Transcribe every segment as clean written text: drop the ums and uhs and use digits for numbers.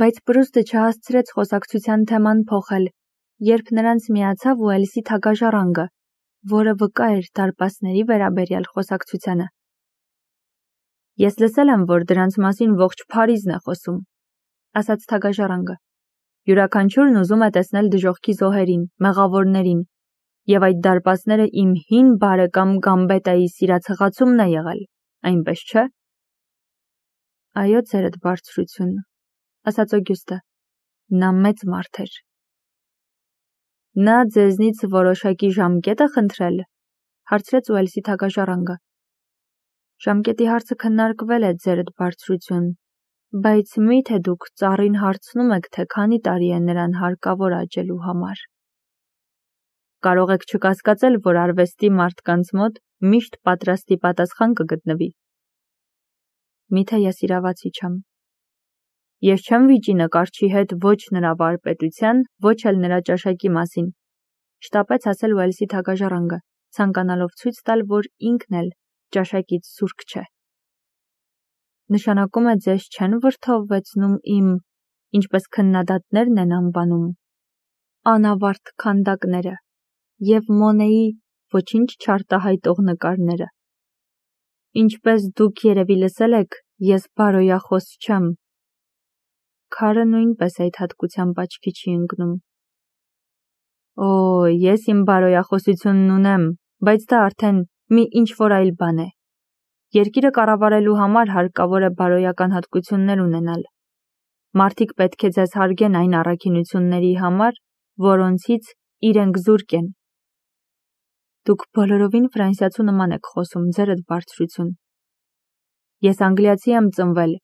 Բայց Պրուստը չհասցրեց խոսակցության թեման փոխել, երբ նրանց միացավ Ուելսի թագաժառանգը, որը վկա էր դարպասների վերաբերյալ խոսակցությանը։ Ես լսել եմ, որ դրանց մասին ողջ Փարիզն է խոսում, ասաց թագաժառանգը։ Յուրաքանչյուրն ուզում է տեսնել դժոխքի զոհերին, մեղավորներին, եւ այդ դարպասները իմ հին բարեկամ Գամբետայի սիրացղացումն է եղել, այնպես չէ։ Այո, ձերդ բարձրություն, ասաց Օգյուստը, նա մեծ մարդ էր։ Նա ձեզնից որոշակի ժամկետ է խնդրել, հարցրեց Ուելսի թագաժառանգը։ Ժամկետի հարցը քննարկվել է, ձերդ բարձրություն, բայց մի՞թե դուք ծառին հարցնում եք, թե քանի տարի է նրան հարկավոր աճելու համար։ Կարող եք չկասկածել, որ արվեստի մարդկանց մոտ միշտ պատրաստի պատասխան կգտնվի։ Միթե ես իրավացի չեմ։ Ես չեմ վիճի նկարչի հետ ոչ նրա վարպետության, ոչ էլ նրա ճաշակի մասին, շտապեց ասել Ուելսի թագաժառանգը, ցանկանալով ցույց տալ, որ ինքն էլ ճաշակից զուրկ չէ։ Նշանակում է ձեզ չեն վրդովվեցնում իմ, ինչպես քննադատներն են անվանում, անավարտ քանդակները և Մոնեի ոչինչ չարտահայտող նկարները։ Ինչպես դուք երևի լսել եք, ես բարոյախոս չեմ։ Քարը նույնպես այդ հատկությամբ աչքի չի ընկնում։ Օ, ես իմ բարոյախոսությունն ունեմ, բայց դա արդեն մի ինչ-որ այլ բան է։ Երկիրը կառավարելու համար հարկավոր է բարոյական հատկություններ ունենալ։ Մարդիկ պետք է ձեզ հարգեն այն առաքինությունների համար, որոնցից իրենք զուրկ են։ Դուք բոլորովին ֆրանսիացու նման եք խոսում, ձերդ բարձրություն։ Ես անգլիացի եմ ծնվել,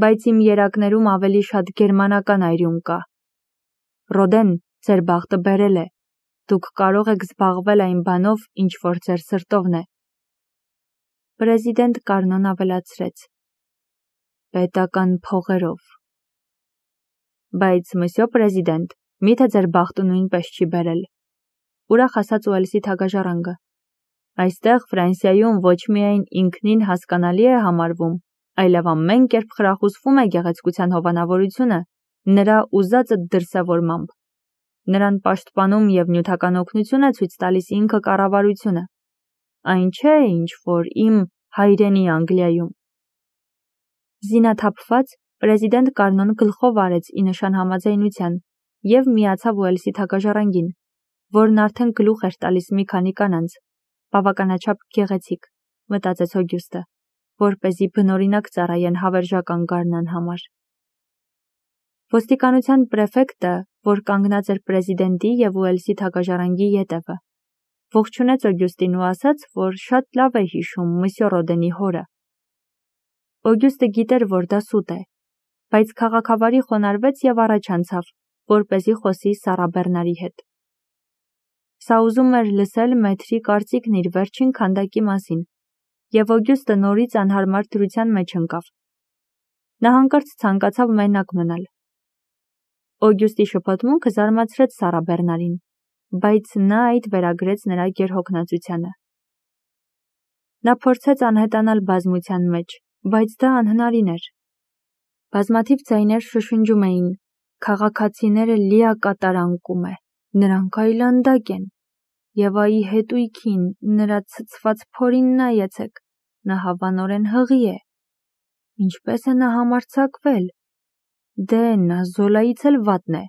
բայց իմ երակներում ավելի շատ գերմանական այրյուն կա։ Ռոդեն, ձեր բախտը բերել է։ Դուք կարող եք զբաղվել այն բանով, ինչ որ ձեր սրտովն է։ Պրեզիդենտ Կարնոն ավելացրեց. Պետական փողերով։ Բայց, մսյո պրեզիդենտ, միթե ձեր բախտը նույնպես չի բերել։ Ուրախ ասաց Ուելսի թագաժառանգը։ Այստեղ Ֆրանսիայում ոչ միայն ինքնին հասկանալի է համարվում, այլև ամեն կերպ խրախուսվում է գեղեցկության հովանավորությունը նրա ուզածը դրսևորմամբ։ Նրան պաշտպանում և նյութական օգնություն է ցույց տալիս ինքը կառավարությունը։ Այն չէ, ինչ որ իմ հայրենի Անգլիայում։ Զինաթափված պրեզիդենտ Կարնոն գլխով արեց ի նշան համաձայնության և միացավ Ուելսի թագաժառանգին, որն արդեն գլուխ էր տալիս մի քանի կանանց, բավականաչափ գեղեցիկ, մտածեց Օգյուստը, որպեսզի բնօրինակ ծառայեն հավերժական գարնան համար։ Ոստիկանության պրեֆեկտը, որ կանգնած էր պրեզիդենտի և Ուելսի թագաժառանգի ետևը, ողջունեց Օգյուստին ու ասաց, որ շատ լավ է հիշում մսյո Ռոդենի հորը։ Օգյուստը գիտեր, որ դա սուտ է, բայց քաղաքավարի խոնարհվեց և առաջ անցավ, որպեսզի խոսի Սառա Բեռնարի հետ։ Սա ուզում էր լսել մեթրի կարծիքն իր վերջին քանդակի մասին, և Օգյուստը նորից անհարմար դրության մեջ ընկավ։ Նա հանկարծ ցանկացավ մենակ մնալ։ Օգյուստի շփոթմունքը զարմացրեց Սառա Բեռնարին, բայց նա այդ վերագրեց նրա գերհոգնածությանը։ Նա փորձեց անհետանալ բազմության մեջ, բայց դա անհնարին էր։ Բազմաթիվ ձայներ շշնջում էին. քաղաքացիները լիակատար անկում է, նրանք այլանդակ են, և այ հետույքին, նրա ցցված փորին նայեցեք, նա հավանորեն հղի է։ Ինչպես է նա համարձակվել։ Դե, նա Զոլայից էլ վատն է։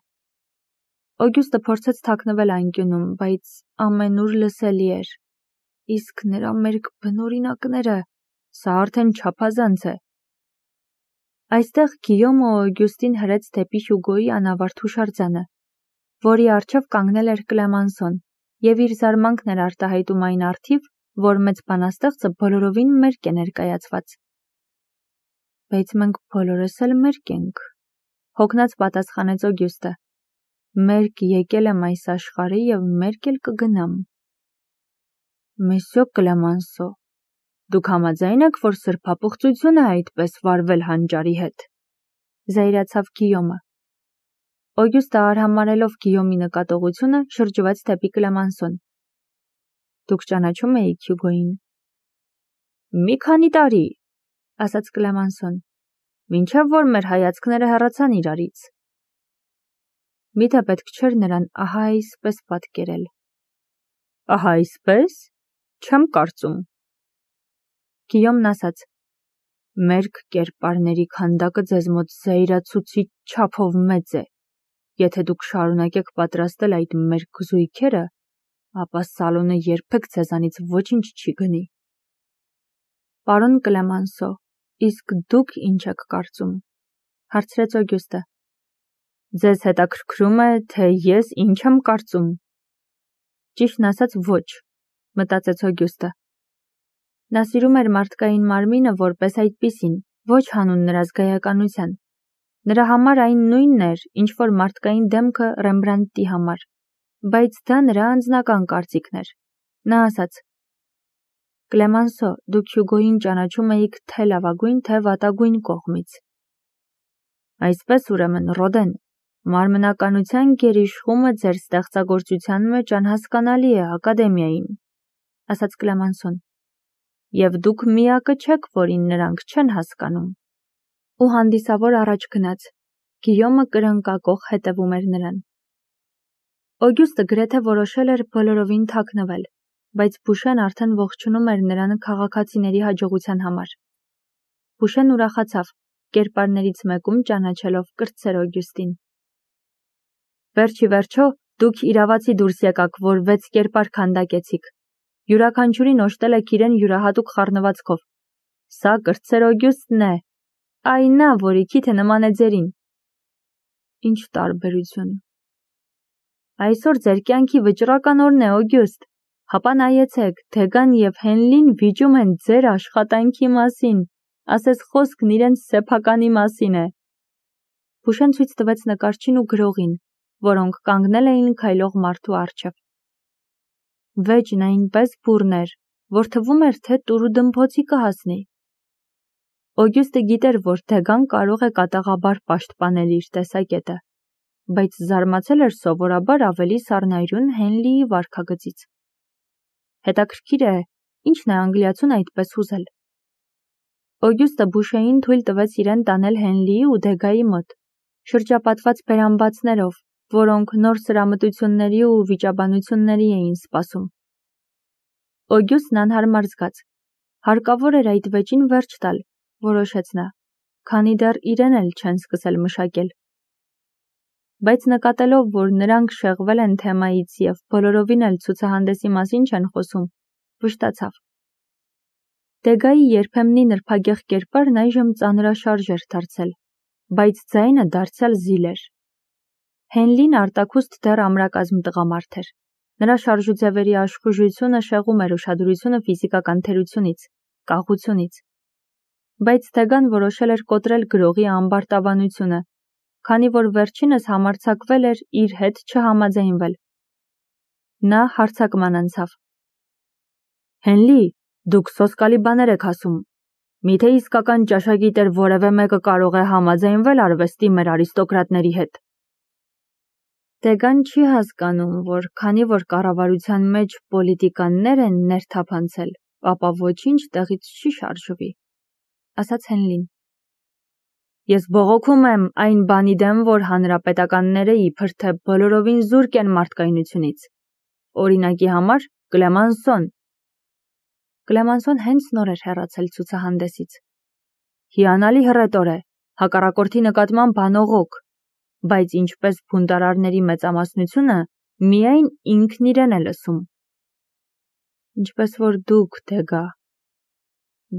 Օգյուստը փորձեց թաքնվել անկյունում, բայց ամենուր լսելի էր։ Իսկ նրա մերկ բնօրինակները, սա արդեն չափազանց է։ Այստեղ Գիյոմը Օգյուստին հրեց դեպի Հյուգոյի անավարտ հուշարձանը, որի առջև կանգնել էր Կլեմանսոն, և իր զարմանքն էր արտահայտում այն առթիվ, որ մեծ բանաստեղծը բոլորովին մերկ է ներկայացված։ Բայց մենք բոլորս էլ մերկ ենք, հոգնած պատասխանեց Օգյուստը։ Մերկ եկել եմ այս աշխարհը և մերկ էլ կգնամ։ Մսյո Կլեմանսո, դուք համաձայն եք, որ սրբապղծություն է այդպես վարվել հանճարի հետ, զայրացավ Գիյոմը։ Օգյուստը արհամարհելով Գիյոմի նկատողությունը շրջվեց դեպի Կլեմանսոն։ Դուք ճանաչում էիք Հյուգոյին։ Մի քանի տարի, ասաց Կլեմանսոն։ մինչև որ մեր հայացքները հեռացան իրարից։ Միթե պետք չէր նրան ահա այսպես պատկերել։ Ահա այսպես։ Չեմ կարծում։ Գիյոմն ասաց. Մերկ կերպարների քանդակը ձեզ մոտ զայրացուցիչ չափով մեծ է։ Եթե դուք շարունակեք պատրաստել այդ մերկ զույգերը, ապա սալոնը երբեք ձեզանից ոչինչ չի գնի։ Պարոն Կլեմանսո, իսկ դուք ինչ եք կարծում, հարցրեց Օգյուստը։ Ձեզ հետաքրքրում է, թե ես ինչ եմ կարծում։ Ճիշտն ասած ոչ, մտածեց Օգյուստը։ Նա սիրում էր մարդկային մարմինը որպես այդպիսին, ոչ հանուն նրա զգայականության։ Նրա համար այն նույնն էր, ինչ որ մարդկային դեմքը Ռեմբրանդտի համար, բայց դա նրա անձնական կարծիքն էր։ Նա ասաց. Կլեմանսո, դուք Հյուգոյին ճանաչում էիք թե լավագույն, թե վատագույն կողմից։ Այսպես ուրեմն, Ռոդեն, մարմնականության գերիշխումը ձեր ստեղծագործության մեջ անհասկանալի է ակադեմիային, ասաց Կլեմանսոն, և դուք միակը չեք, որին նրանք չեն հասկանում։ Ու հանդիսավոր առաջ գնաց, Գիյոմը կրնկակող հետևում էր նրան։ Օգյուստը գրեթե որոշել էր բոլորովին թաքնվել, բայց Բուշեն արդեն ողջունում էր նրան քաղաքացիների հաջողության համար։ Բուշեն ուրախացավ, կերպարներից մեկում ճանաչելով կրտսեր Օգյուստին։ Վերջի վերջո, դուք իրավացի դուրս եկաք, որ 6 կերպար քանդակեցիք։ Յուրաքանչյուրին օժտել եք իրեն յուրահատուկ խառնվածքով։ Սա կրտսեր Օգյուստն է, այն նա, որի քիթը նման է ձերին։ Ինչ տարբերություն։ Այսօր ձեր կյանքի վճռական օրն է, Օգյուստ, հապա նայեցեք, Դեգան և Հենլին վիճում են ձեր աշխատանքի մասին, ասես խոսքն իրենց սեփականի մասին է։ Բուշեն ցույց տվեց նկարչին ու գրողին, որոնք կանգնել էին քայլող մարդու առջև։ Վեճն այնպես բուռն էր, որ թվում էր, թե տուրու դմփոցի կհասնի։ Օգյուստը գիտեր, որ Դեգան կարող է կատաղաբար պաշտպանել իր տեսակետը, բայց զարմացել էր սովորաբար ավելի սառնայրուն Հենլիի վարքագծից։ Հետաքրքիր է, ինչն է անգլիացուն այդպես ուզել։ Օգյուստը Բուշեին թույլ տվեց իրեն տանել Հենլիի ու Դեգայի մոտ, շրջապատված բերանբացներով, որոնք նոր սրամտությունների ու վիճաբանությունների էին սպասում։ Օգյուստն անհարմար զգաց։ Հարկավոր էր այդ վեճին վերջ տալ, որոշեց նա, քանի դեռ իրեն էլ չեն սկսել մշակել։ Բայց նկատելով, որ նրանք շեղվել են թեմայից և բոլորովին էլ ցուցահանդեսի մասին չեն խոսում, վշտացավ։ Դեգայի երբեմնի նրբագեղ կերպարն այժմ ծանրաշարժ էր դարձել, բայց ձայնը դարձյալ զիլ էր։ Հենլին արտաքուստ դեռ ամրակազմ տղամարդ էր։ Նրա շարժուձևերի աշխուժությունը շեղում էր ուշադրությունը ֆիզիկական թերությունից, կաղությունից։ Բայց Դեգան որոշել էր կոտրել գրողի ամբարտավանությունը, քանի որ վերջինս համարձակվել էր իր հետ չհամաձայնվել։ Նա հարձակման անցավ։ Հենլի, դուք սոսկալի բաներ եք ասում։ Միթե իսկական ճաշակիտեր որևէ մեկը կարող է համաձայնվել արվեստի մեր արիստոկրատների հետ։ Դեգան չի հասկանում, որ քանի որ կառավարության մեջ պոլիտիկաններ են ներթափանցել, ապա ոչինչ տեղից չի շարժվի, ասաց Հենլին։ Ես բողոքում եմ այն բանի դեմ, որ հանրապետականները իբր թե բոլորովին զուրկ են մարդկայնությունից։ Օրինակի համար Կլեմանսոն։ Կլեմանսոն հենց նոր էր հեռացել ցուցահանդեսից։ Հիանալի հռետոր է, հակառակորդի նկատմամբ անողոք, բայց ինչպես բունտարարների մեծամասնությունը, միայն ինքն իրեն է լսում։ Ինչպես որ դուք, Դեգա։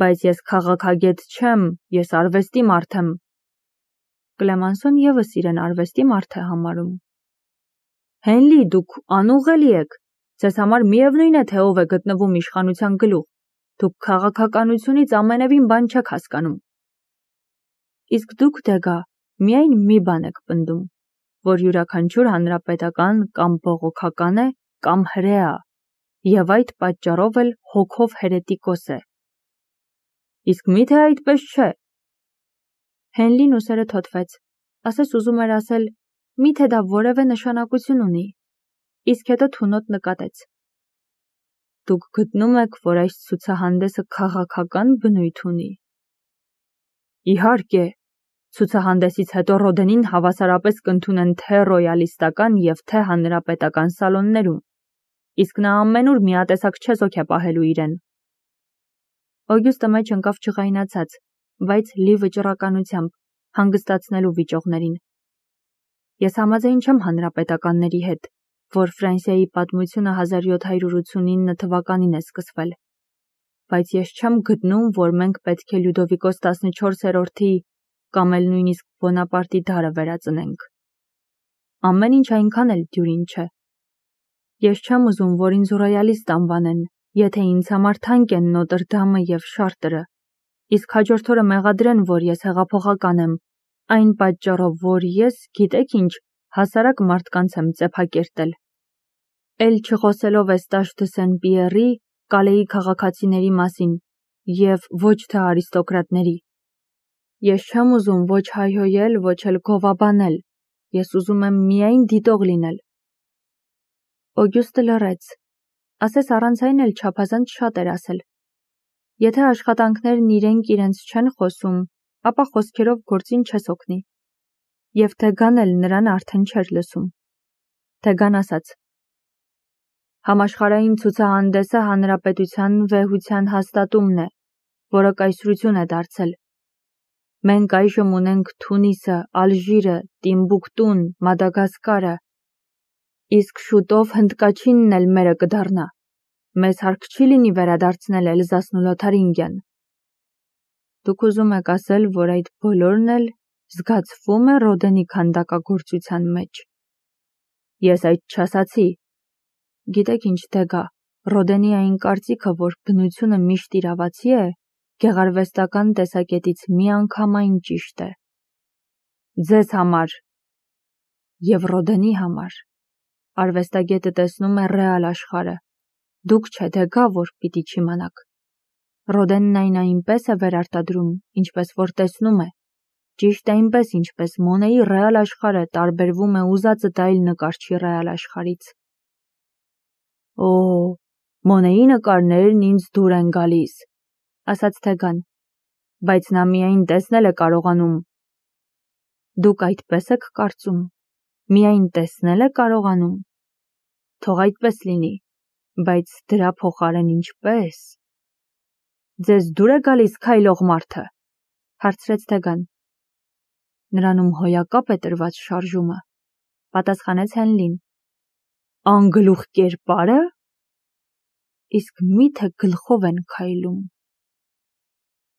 Բայց ես քաղաքագետ չեմ, ես արվեստի մարդ եմ։ Կլեմանսոն ևս իրեն արվեստի մարդ է համարում։ Հենլի, դուք անուղղելի եք, ձեզ համար միևնույն է, թե ով է գտնվում իշխանության գլուխ, դուք քաղաքականությունից ամենևին բան չեք հասկանում։ Իսկ դուք, Դեգա, միայն մի բան եք պնդում, որ յուրաքանչյուր հանրապետական կամ բողոքական է, կամ հրեա, և այդ պատճառով էլ հոգով հերետիկոս է։ Իսկ միթե այդպես չէ։ Հենլին ուսերը թոթվեց, ասես ուզում էր ասել, միթե դա որևէ նշանակություն ունի, իսկ հետո թունոտ նկատեց։ Դուք գտնում եք, որ այս ցուցահանդեսը քաղաքական բնույթ ունի։ Իհարկե, Ցուցահանդեսից հետո Ռոդենին հավասարապես կընդունեն թե ռոյալիստական և թե հանրապետական սալոններում, իսկ նա ամենուր միատեսակ չեզոք է պահելու իրեն։ Օգյուստը մեջ ընկավ ջղայնացած, բայց լի վճռականությամբ, հանգստացնելու վիճողներին։ Ես համաձայն չեմ հանրապետականների հետ, որ Ֆրանսիայի պատմությունը 1789 թվականին է սկսվել, բայց ես չեմ գտնում, որ մենք պետք է Լյուդովիկոս 14-րդի կամ էլ նույնիսկ Բոնապարտի դարը վերածնենք։ Ամեն ինչ այնքան էլ դյուրին չէ։ Ես չեմ ուզում, որ ինձ ռոյալիստ անվանեն, եթե ինձ համար թանկ են Նոտր Դամը և Շարտրը, իսկ հաջորդ օրը մեղադրեն, որ ես հեղափոխական եմ, այն պատճառով, որ ես, գիտեք ինչ, հասարակ մարդկանց եմ ծեփակերտել։ Էլ չխոսելով Էստաշ դը Սեն-Պիերի, Կալեի քաղաքացիների մասին և ոչ թե արիստոկրատների։ Ես չեմ ուզում ոչ հայհոյել, ոչ էլ գովաբանել, ես ուզում եմ միայն դիտող լինել։ Օգյուստը լռեց, ասես առանց այն էլ չափազանց շատ էր ասել։ Եթե աշխատանքներն իրենց չեն խոսում, ապա խոսքերով գործին չես օգնի։ Եվ Թեգան էլ նրան արդեն չէր լսում։ Թեգան ասաց. Համաշխարհային ցուցահանդեսը հանրապետության վեհության հաստատումն է, որը կայսրություն է դարձել։ Մենք այժմ ունենք Թունիսը, Ալժիրը, Տիմբուկտուն, Մադագասկարը, իսկ շուտով Հնդկաչինն էլ մերը կդառնա։ Մեզ հարկ չի լինի վերադարձնել Էլզասն ու Լոթարինգիան։ Դուք ուզում եք ասել, որ այդ բոլորն էլ զգացվում է Ռոդենի քանդակագործության մեջ։ Ես այդ չասացի։ Գիտեք ինչ Թեգա, Ռոդենի այն կարծիքը, որ բնությունը միշտ իրավացի է, գեղարվեստական տեսակետից միանգամայն ճիշտ է։ Ձեզ համար և Ռոդենի համար արվեստագետը տեսնում է ռեալ աշխարհը։ Դուք չէ Թեգա, որ պիտի չիմանաք։ Ռոդենն այն այնպես է վերարտադրում, ինչպես որ տեսնում է։ Ճիշտ այնպես, ինչպես Մոնեի ռեալ աշխարհը տարբերվում է ուզածդ այլ նկարչի ռեալ աշխարհից։ Օ, Մոնեի նկարներն ինձ դուր են գալիս, ասաց Թեգան, բայց նա միայն տեսնել է կարողանում։ Դուք այդպես եք կարծում, միայն տեսնել է կարողանում։ Թող այդպես լինի, բայց դրա փոխարեն ինչպես։ Ձեզ դուր է գալիս քայլող մարդը, հարցրեց Թեգան։ Նրանում հոյակապ է տրված շարժումը, պատասխանեց Հենլին։ Անգլուխ կերպարը։ Իսկ միթե գլխով են քայլում։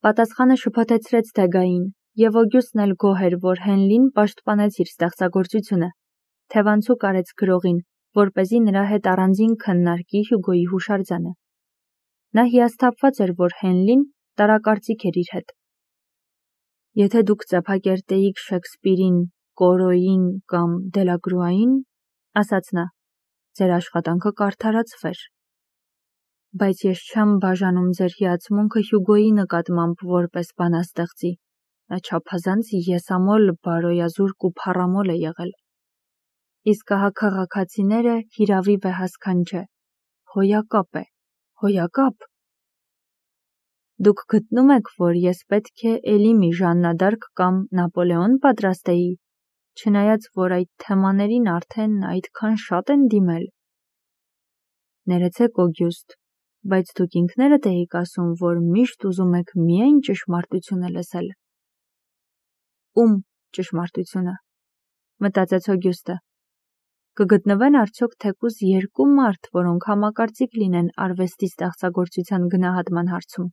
Պատասխանը շփոթեցրեց Թեգային, և Օգյուստն էլ գոհ էր, որ Հենլին պաշտպանեց իր ստեղծագործությունը, թևանցուկ արեց գրողին, որպեսզի նրա հետ առանձին քննարկի Հյուգոյի հուշարձանը։ Նա հիասթափված էր, որ Հենլին տարակարծիք էր իր հետ։ Եթե դուք ծեփակերտեիք Շեքսպիրին, Կորոյին կամ Դելակրուային, ասաց նա, ձեր աշխատանքը կարդարացվեր։ Բայց ես չեմ բաժանում ձեր հիացմունքը Հյուգոյի նկատմամբ որպես բանաստեղծի։ Նա չափազանց եսամոլ, բարոյազուրկ ու փառամոլ է եղել։ Իսկ ահա քաղաքացիները հիրավի վեհասքան չէ։ Հոյակապ է, հոյակապ։ Դուք գտնում եք, որ ես պետք է էլի մի Ժաննա դ'Արկ կամ Նապոլեոն պատրաստեի, չնայած որ այդ թեմաներին արդեն այդքան շատ են դիմել։ Ներեցեք Օգյուստ, բայց դուք ինքներդ էիք ասում, որ միշտ ուզում եք միայն ճշմարտությունը լսել։ Ում ճշմարտությունը, մտածեց Օգյուստը։ Կգտնվեն արդյոք թեկուզ երկու մարդ, որոնք համակարծիք լինեն արվեստի ստեղծագործության գնահատման հարցում։